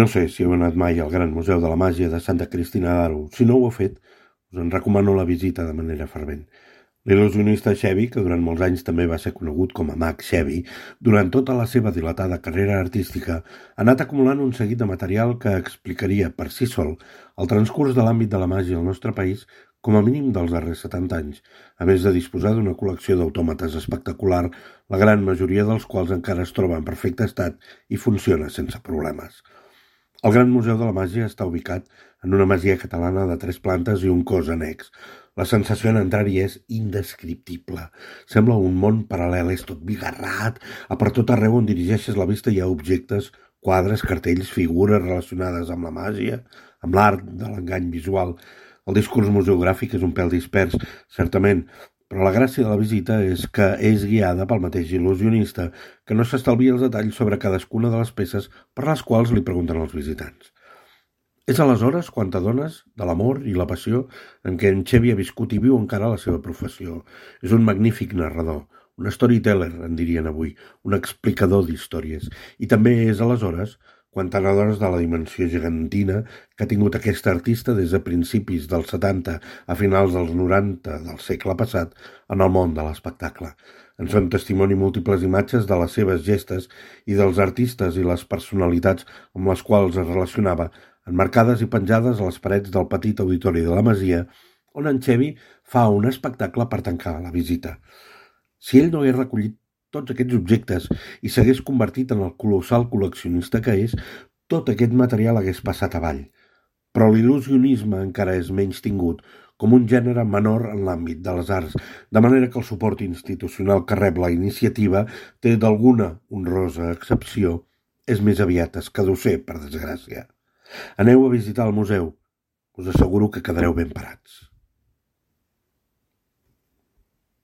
No sé si heu anat mai al Gran Museu de la Màgia de Santa Cristina d'Aro. Si no ho heu fet, us en recomano la visita de manera fervent. L'il·lusionista Chevy, que durant molts anys també va ser conegut com a Mag Chevy, durant tota la seva dilatada carrera artística, ha anat acumulant un seguit de material que explicaria per si sol el transcurs de l'àmbit de la màgia al nostre país com a mínim dels darrers 70 anys, a més de disposar d'una col·lecció d'autòmates espectacular, la gran majoria dels quals encara es troba en perfecte estat i funciona sense problemes. El Gran Museu de la Màgia està ubicat en una masia catalana de 3 plantes i un cos annex. La sensació en entrar-hi és indescriptible. Sembla un món paral·lel, és tot bigarrat, a per tot arreu on dirigeixes la vista hi ha objectes, quadres, cartells, figures relacionades amb la màgia, amb l'art de l'engany visual. El discurs museogràfic és un pèl dispers, certament, però la gràcia de la visita és que és guiada pel mateix il·lusionista, que no s'estalvia els detalls sobre cadascuna de les peces per les quals li pregunten els visitants. És aleshores quan t'adones de l'amor i la passió en què en Chevy ha viscut i viu encara la seva professió. És un magnífic narrador, un storyteller, en dirien avui, un explicador d'històries. I també és aleshores quan t'adones de la dimensió gegantina que ha tingut aquest artista des de principis dels 70 a finals dels 90 del segle passat en el món de l'espectacle. En són testimoni múltiples imatges de les seves gestes i dels artistes i les personalitats amb les quals es relacionava, emmarcades i penjades a les parets del petit auditori de la Masia, on en Chevy fa un espectacle per tancar la visita. Si ell no hagués recollit tots aquests objectes i s'hagués convertit en el colossal col·leccionista que és, tot aquest material hagués passat avall. Però l'il·lusionisme encara és menys tingut com un gènere menor en l'àmbit de les arts, de manera que el suport institucional que rep la iniciativa té d'alguna honrosa excepció, és més aviat escadusser, per desgràcia. Aneu a visitar el museu, us asseguro que quedareu ben parats.